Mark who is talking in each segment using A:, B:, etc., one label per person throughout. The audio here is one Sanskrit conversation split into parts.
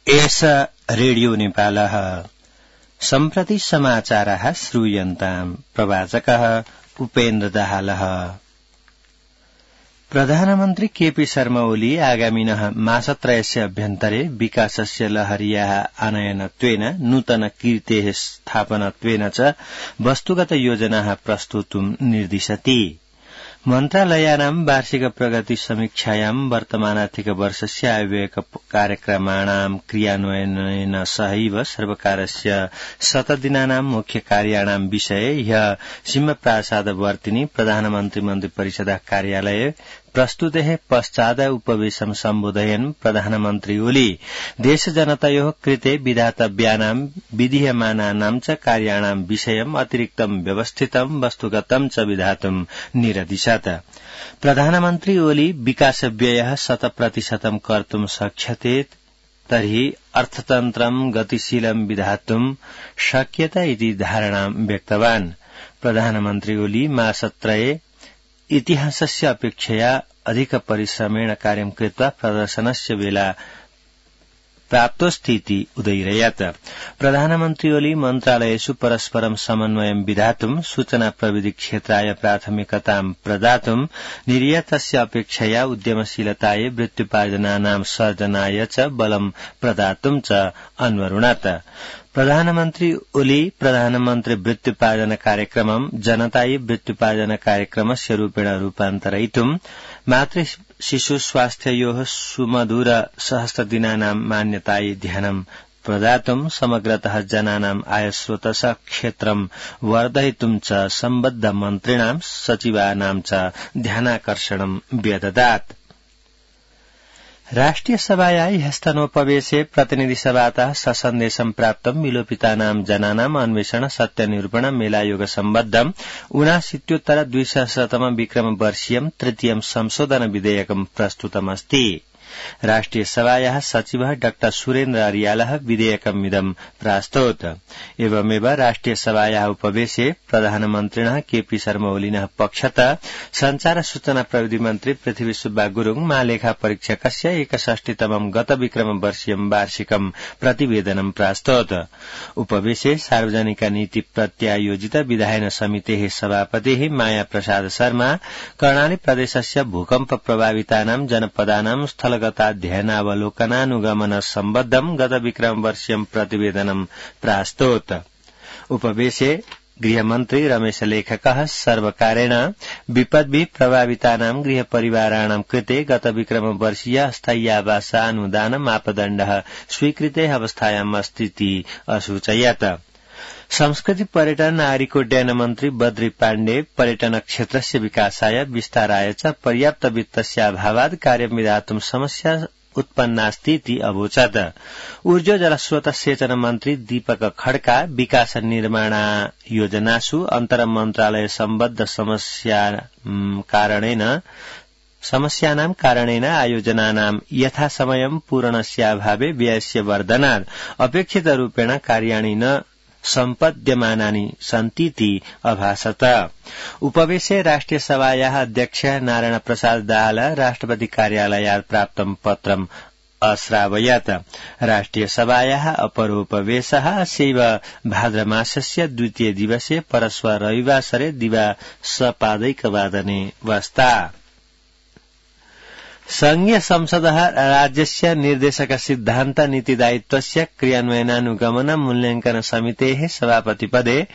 A: एष रेडियो नेपालः सम्प्रति समाचारः श्रूयन्ताम् प्रवाचकः उपेन्द्र दाहालः। प्रधानमन्त्री केपी शर्मा ओली आगामिनः मासत्रयस्य अभ्यन्तरे विकासस्य लहर्याः आनयनत्वेन नूतन कीर्तेः स्थापनत्वेन च वस्तुगत योजनाः प्रस्तुतुं निर्दिशति। मन्त्रालयानां वार्षिक प्रगति समीक्षायां वर्तमानार्थिक वर्षस्य आयव्यय कार्यक्रमाणां क्रियान्वयनेन सहैव सर्वकारस्य शतदिनानां मुख्य कार्याणां विषये ह्यः सिंहप्रासादवर्तिनि प्रधानमन्त्री मन्त्रिपरिषदः कार्यालये प्रस्तुतेः पश्चात् उपवेशं सम्बोधयन् प्रधानमन्त्री ओली देशजनतयोः कृते विधातव्यानां विधीयमानानां च कार्याणां विषयम् अतिरिक्तं व्यवस्थितं वस्तुगतं च विधातुं निरदिशत्। प्रधानमन्त्री ओली विकासव्ययः 100% कर्तुं शक्यते तर्हि अर्थतन्त्रं गतिशीलं विधातुं शक्यत इति धारणां व्यक्तवान्। प्रधानमन्त्री ओली मासत्रये इतिहासस्य अपेक्षया अधिक परिश्रमेण कार्यं कृत्वा प्रदर्शनस्य वेला प्राप्तोऽस्तीति उदयिरयत्। प्रधानमन्त्री ओली मन्त्रालयेषु परस्परं समन्वयं विधातुं सूचना प्रविधि क्षेत्राय प्राथमिकतां प्रदातुं निर्यातस्य अपेक्षया उद्यमशीलतायै वृत्त्युपार्जनानां सर्जनाय च बलं प्रदातुं च अन्वरुणत्। प्रधानमन्त्री ओली प्रधानमन्त्री वृत्त्युपार्जन कार्यक्रमं जनतायै वृत्त्युपार्जन कार्यक्रमस्य रूपेण रूपान्तरयितुं मातृ शिशु स्वास्थ्ययोः सुमधुर सहस्रदिनानां मान्यतायै ध्यानं प्रदातुं समग्रतः जनानां आयस्रोतः क्षेत्रं वर्धयितुं च सम्बद्ध मन्त्रिणां सचिवानां च ध्यानाकर्षणं व्यददात्। राष्ट्रिय सभाया ह्यस्तनोपवेशे प्रतिनिधिसभातः ससन्देशं प्राप्तं विलोपितानां जनानाम् अन्वेषण सत्यनिरूपण मेलायोग सम्बद्धम् 79-200 विक्रमवर्षीयं तृतीयं संशोधन विधेयकं प्रस्तुतमस्ति। राष्ट्रिय सभायाः सचिवः डॉ सुरेन्द्र अरियालः विधेयकमिदं प्रास्तोत्। एवमेव राष्ट्रिय सभायाः उपवेशे प्रधानमन्त्रिणः केपी शर्मा ओलिनः पक्षतः संचार सूचना प्रविधि मन्त्री पृथ्वी सुब्बा गुरुङ महालेखा परीक्षकस्य 61तमं गत विक्रमवर्षीयं वार्षिकं प्रतिवेदनं प्रास्तोत्। उपवेशे सार्वजनिक नीति प्रत्यायोजित विधायन समितेः सभापतिः माया प्रसाद शर्मा कर्णाली प्रदेशस्य भूकम्प प्रभावितानां जनपदानां स्थलगताध्ययनावलोकनानुगमन सम्बद्धं गत विक्रमवर्षीयं प्रतिवेदनं प्रास्तोत्। उपवेशे गृहमन्त्री रमेश लेखकः सर्वकारेण विपद्भिः प्रभावितानां गृहपरिवाराणां कृते गत विक्रमवर्षीय स्थाय्यावास अनुदान मापदण्डः स्वीकृते अवस्थायाम् अस्तीति असूचयत्। संस्कृति पर्यटन नागरिकोड्डयन मन्त्री बद्री पाण्डे पर्यटन क्षेत्रस्य विकासाय विस्ताराय च पर्याप्त वित्तस्य अभावात् कार्यं विधातुं समस्या उत्पन्नास्तीति अवोचत्। ऊर्जा जलस्रोत सेचन मन्त्री दीपक खड्का विकास निर्माण योजनासु अन्तर मन्त्रालय सम्बद्ध समस्यानां कारणेन आयोजनानां यथासमयं पूरणस्याभावे व्ययस्य वर्धनात् अपेक्षितरूपेण कार्याणि न सम्पद्यमानानि सन्तीति अभासत। उपवेशे राष्ट्रिय सभायाः अध्यक्ष नारायण प्रसाद दाहाल राष्ट्रपति कार्यालयात् प्राप्तं पत्रम् अश्रावयत्। राष्ट्रिय सभायाः अपरोपवेशः अस्यैव भाद्रमासस्य द्वितीय दिवसे परश्व रविवासरे दिवा सपादैकवादने वस्ता। संघीय संसदः राज्यस्य निर्देशक सिद्धान्त नीतिदायित्वस्य क्रियान्वयनानुगमन मूल्याङ्कन समितेः सभापतिपदे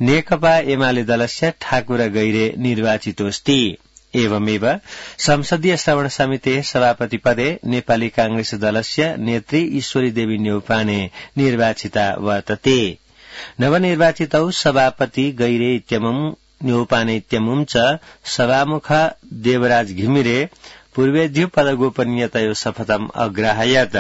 A: नेकपा एमाले दलस्य ठाकुर गैरे निर्वाचितोऽस्ति। एवमेव संसदीय श्रवण समितेः सभापतिपदे नेपाली कांग्रेस दलस्य नेत्री ईश्वरी देवी न्यौपाने निर्वाचिता वर्तते। नवनिर्वाचितौ सभापति गैरे इत्यमुं न्यौपाने इत्यमुं च सभामुख देवराज घिमिरे पूर्वेद्यु पदगोपनीयतयो शपथम् अग्राहयत्।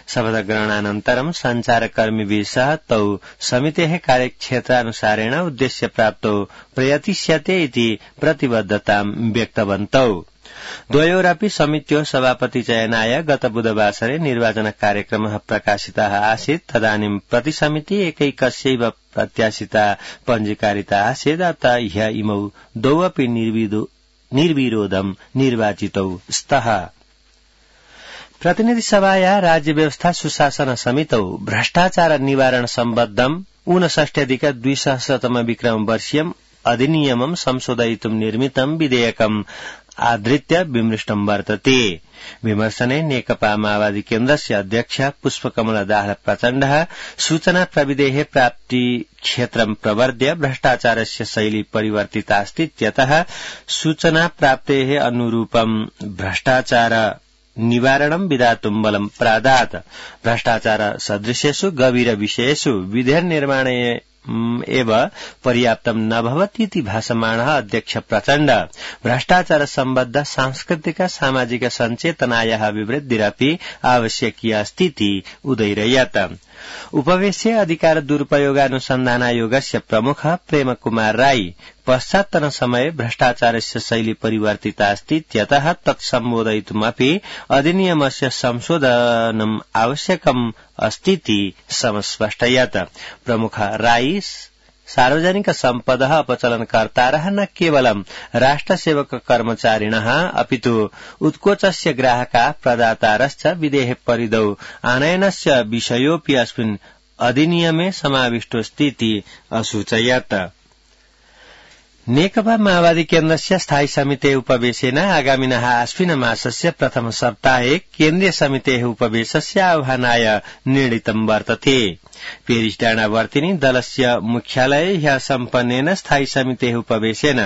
A: शपथग्रहणानन्तरं सञ्चारकर्मिभिः सह तौ समितेः कार्यक्षेत्रानुसारेण उद्देश्यप्राप्तौ प्रयतिष्यते इति प्रतिबद्धतां व्यक्तवन्तौ। द्वयोरपि समित्योः सभापति चयनाय गत बुधवासरे निर्वाचन कार्यक्रमः प्रकाशितः आसीत्। तदानीं प्रतिसमिति एकैकस्यैव प्रत्याशिता पञ्जीकारिता आसीत्। अतः ह्य इमौ द्वौ अपि निर्विरोधं निर्वाचितौ स्तः। प्रतिनिधि सभाया राज्य व्यवस्था सुशासन समितौ भ्रष्टाचार निवारण सम्बद्धं 59-200 विक्रम वर्षीयम् अधिनियमं संशोधयितुं निर्मितं विधेयकम् आधृत्य विमृष्टं वर्तते। विमर्शने नेकपा माओवादी केन्द्रस्य अध्यक्ष पुष्पकमल दाहाल प्रचण्डः सूचना प्रविधेः प्राप्ति क्षेत्रं प्रवर्ध्य भ्रष्टाचारस्य शैली परिवर्तितास्तीत्यतः सूचना प्राप्तेः अनुरूपं भ्रष्टाचार निवारणं विधातुं बलं प्रादात्। भ्रष्टाचार सदृशेषु गभीर विषयेषु विधेयक निर्माणे एव पर्याप्तं न भवतीति भाषमाणः अध्यक्ष प्रचण्ड भ्रष्टाचार सम्बद्ध सांस्कृतिक सामाजिक सञ्चेतनायाः विवृद्धिरपि आवश्यकी अस्तीति उदैरयत्। उपवेशे अधिकार दुरुपयोगानुसन्धानायोगस्य प्रमुख प्रेम कुमार राई पश्चात्तन समये भ्रष्टाचारस्य शैली परिवर्तिता अस्तीत्यतः तत्सम्बोधयितुमपि अधिनियमस्य संशोधनम् आवश्यकम् अस्तीति समस्पष्टयत्। प्रमुख राई सार्वजनिक सम्पदः अपचलनकर्तारः न केवलं राष्ट्रसेवक कर्मचारिणः अपितु उत्कोचस्य ग्राहकाः प्रदातारश्च विधेः परिधौ आनयनस्य विषयोऽपि अस्मिन् अधिनियमे समाविष्टोऽस्तीति असूचयत्। नेकपा माओवादी केन्द्रस्य स्थायी समितेः उपवेशेन आगामिनः आश्विन मासस्य प्रथम सप्ताहे केन्द्रीय समितेः उपवेशस्य आह्वानाय निर्णीतं वर्तते। पेरिस डाँडावर्तिनी दलस्य मुख्यालये ह्यः सम्पन्नेन स्थायी समितेः उपवेशेन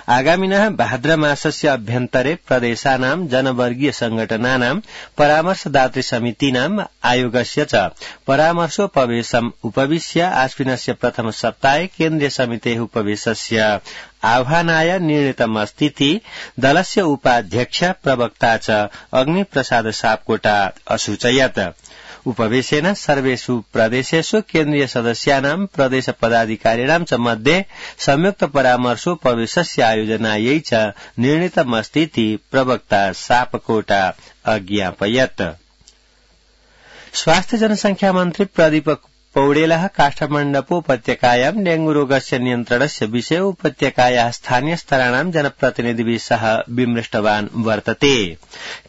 A: आगामिनः भाद्र मासस्य अभ्यन्तरे प्रदेशानां जनवर्गीय संगठनानां परामर्शदातृ समितीनां आयोगस्य च परामर्शोपवेशम् उपविश्य आश्विनस्य प्रथम सप्ताहे केन्द्रीय समितेः उपवेशस्य आह्वानाय निर्णीतमस्तीति दलस्य उपाध्यक्ष प्रवक्ता च अग्निप्रसाद सापकोटा असूचयत्। उपवेशेन सर्वेषु प्रदेशेषु केन्द्रीय सदस्यानां प्रदेश पदाधिकारिणां च मध्ये संयुक्त परामर्शोपवेशस्य आयोजनायै च निर्णीतमस्तीति प्रवक्ता सापकोटा अज्ञापयत्। स्वास्थ्य जनसंख्या मन्त्री प्रदीप पौडेलः काष्ठमण्डपोपत्यकायां डेंगू रोगस्य नियन्त्रणस्य विषये उपत्यकायाः स्थानीय स्तराणां जनप्रतिनिधिभिः सह विमृष्टवान् वर्तते।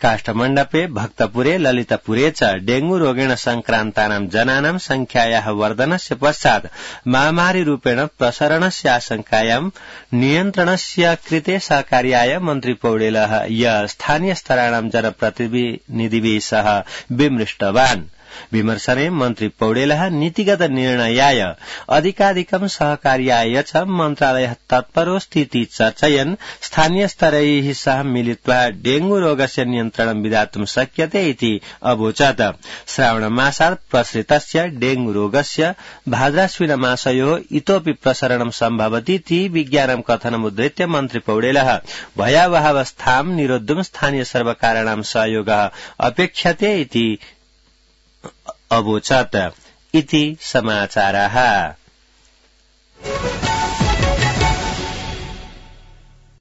A: काष्ठमण्डपे भक्तपुरे ललितपुरे च डेंगू रोगेण संक्रान्तानां जनानां संख्यायाः वर्धनस्य पश्चात् महामारीरूपेण प्रसरणस्य आशंकायां नियन्त्रणस्य कृते सहकार्याय मन्त्री पौडेलः स्थानीय स्तराणां जनप्रतिनिधिभिः सह विमृष्टवान्। विमर्शने मन्त्री पौडेलः नीतिगत निर्णयाय अधिकाधिकं सहकार्याय च मन्त्रालयः तत्परोऽस्तीति चर्चयन् स्थानीय स्तरैः सह मिलित्वा डेंगू रोगस्य नियन्त्रणं विधातुं शक्यते इति अवोचत्। श्रावणमासात् प्रसृतस्य डेंगू रोगस्य भाद्राश्विन मासयोः इतोऽपि प्रसरणं सम्भवतीति विज्ञानं कथनमुद्धृत्य मन्त्री पौडेलः भयावहावस्थां निरोद्धुं स्थानीय सर्वकाराणां सहयोगः अपेक्ष्यते इति अवोचत्। इति समाचाराः।